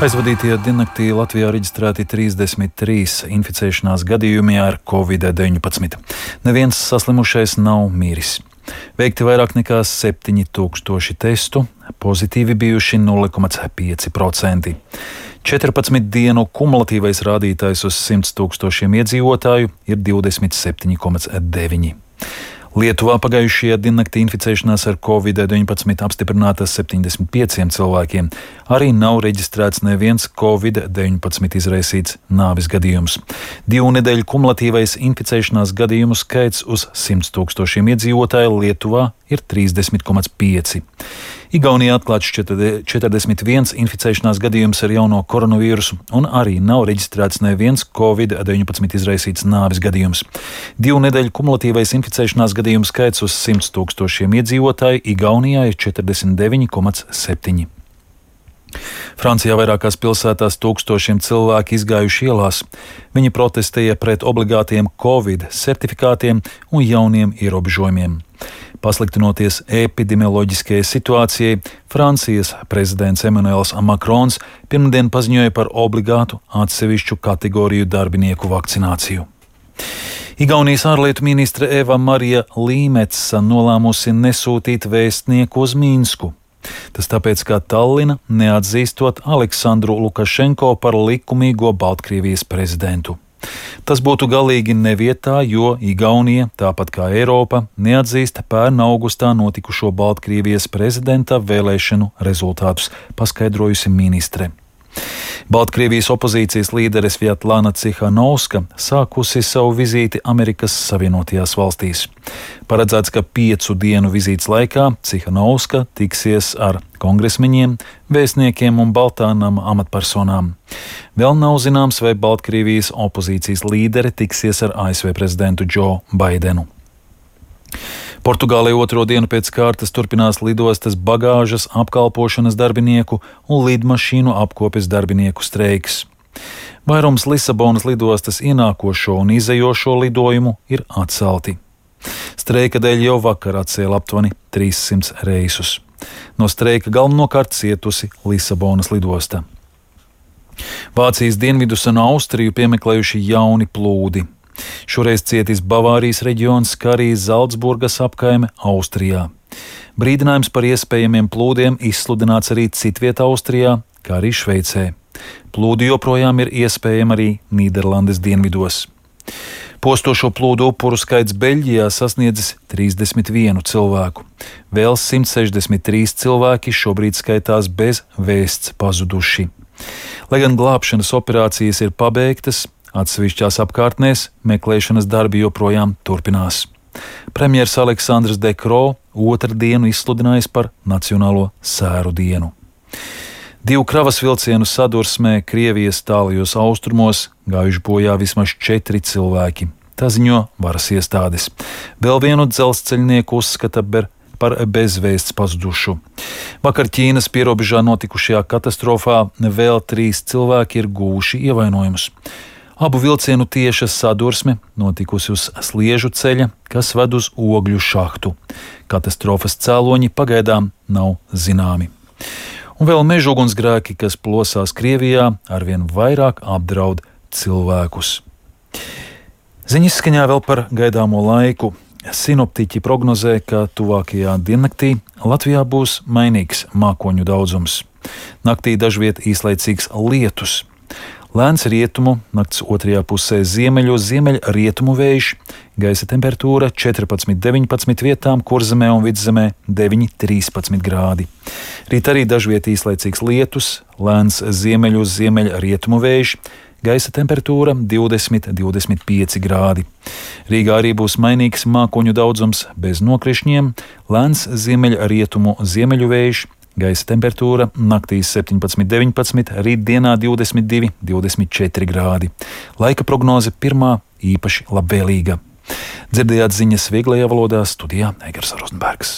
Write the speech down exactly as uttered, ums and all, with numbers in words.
Aizvadītajā diennaktī Latvijā reģistrēti trīsdesmit trīs inficēšanās gadījumi ar covid deviņpadsmit. Neviens saslimušais nav miris. Veikti vairāk nekā septiņi tūkstoši testu, pozitīvi bijuši nulle komats pieci procenti. četrpadsmit dienu kumulatīvais rādītājs uz simts tūkstošiem iedzīvotāju ir divdesmit septiņi komats deviņi. Lietuvā pagājušajā diennaktī inficēšanās ar covid deviņpadsmit apstiprināta septiņdesmit pieciem cilvēkiem. Arī nav reģistrēts neviens covid deviņpadsmit izraisīts nāves gadījums. Divu nedēļu kumulatīvais inficēšanās gadījumu skaits uz simts tūkstošiem iedzīvotāju Lietuvā ir trīsdesmit komats pieci. Igaunijā atklāts četrdesmit viens inficēšanās gadījums ar jauno koronavīrusu, un arī nav reģistrēts neviens covid deviņpadsmit izraisīts nāves gadījums. Divu nedēļu kumulatīvais inficēšanās gadījumu skaits uz simts tūkstošiem iedzīvotāju Igaunijā ir četrdesmit deviņi komats septiņi. Francijā vairākās pilsētās tūkstošiem cilvēki izgājuši ielās. Viņi protestēja pret obligātiem covid certifikātiem un jauniem ierobežojumiem. Pasliktinoties epidemioloģiskajai situācijai, Francijas prezidents Emmanuels Macrons pirmdien paziņoja par obligātu atsevišķu kategoriju darbinieku vakcināciju. Igaunijas ārlietu ministre Eva Marija Līmetsa nolēmusi nesūtīt vēstnieku uz Minsku. Tas tāpēc, ka Tallina neatzīstot Aleksandru Lukašenko par likumīgo Baltkrievijas prezidentu. Tas būtu galīgi nevietā, jo Igaunija, tāpat kā Eiropa, neatzīst pērn augustā notikušo Baltkrievijas prezidenta vēlēšanu rezultātus, paskaidrojusi ministre. Baltkrievijas opozīcijas līdere Svjatlana Cihanovska sākusi savu vizīti Amerikas Savienotajās valstīs. Paredzēts, ka piecu dienu vizītes laikā Cihanovska tiksies ar kongresmeņiem, vēstniekiem un Baltānam amatpersonām. Vēl nav zināms, vai Baltkrievijas opozīcijas līdere tiksies ar A S V prezidentu Džo Baidenu. Portugālē otro dienu pēc kārtas turpinās lidostas bagāžas apkalpošanas darbinieku un lidmašīnu apkopes darbinieku streiks. Vairums Lisabonas lidostas ienākošo un izejošo lidojumu ir atcelti. Streika dēļ jau vakar atcēla aptuveni trīssimts reisus. No streika galvenokārt cietusi Lisabonas lidosta. Vācijas dienvidus un Austriju piemeklējuši jauni plūdi. Šoreiz cietis Bavārijas reģions, kā arī Zalcburgas apkaime Austrijā. Brīdinājums par iespējamiem plūdiem izsludināts arī citvietā Austrijā, kā arī Šveicē. Plūdi joprojām ir iespējami arī Nīderlandes dienvidos. Postošo plūdu upuru skaits Beļģijā sasniedzis trīsdesmit vienu cilvēku. Vēl simt sešdesmit trīs cilvēki šobrīd skaitās bez vēsts pazuduši. Lai gan glābšanas operācijas ir pabeigtas, atsevišķās apkārtnēs meklēšanas darbi joprojām turpinās. Premjers Aleksandrs De Croo otrdienu izsludinājis par Nacionālo sēru dienu. Divu kravas vilcienu sadursmē Krievijas tālajos austrumos gājuši bojā vismaz četri cilvēki. Tā ziņo varas iestādes. Vēl vienu dzelzceļnieku uzskata par bezvēsts pazudušu. Vakar Ķīnas pierobežā notikušajā katastrofā vēl trīs cilvēki ir guvuši ievainojumus. Abu vilcienu tieša sadursme notikusi uz sliežu ceļa, kas ved uz ogļu šahtu. Katastrofas cēloņi pagaidām nav zināmi. Un vēl meža ugunsgrēki, kas plosās Krievijā, arvien vairāk apdraud cilvēkus. Ziņas skaņā vēl par gaidāmo laiku. Sinoptiķi prognozē, ka tuvākajā diennaktī Latvijā būs mainīgs mākoņu daudzums. Naktī dažviet īslaicīgs lietus. Lēns rietumu, nakts otrajā pusē ziemeļu, ziemeļrietumu vējš, gaisa temperatūra četrpadsmit deviņpadsmit vietām, Kurzemē un Vidzemē deviņi trīspadsmit grādi. Rīt arī dažviet īslaicīgs lietus, lēns ziemeļu, ziemeļrietumu vējš, gaisa temperatūra divdesmit divdesmit pieci grādi. Rīgā arī būs mainīgs mākoņu daudzums bez nokrišņiem, lēns ziemeļrietumu, ziemeļu vējš, gaisa temperatūra naktīs septiņpadsmit deviņpadsmit, rītdienā divdesmit divi divdesmit četri grādi. Laika prognoze pirmā īpaši labvēlīga. Dzirdējāt ziņas vieglajā valodā, studijā Eigars Rozenbergs.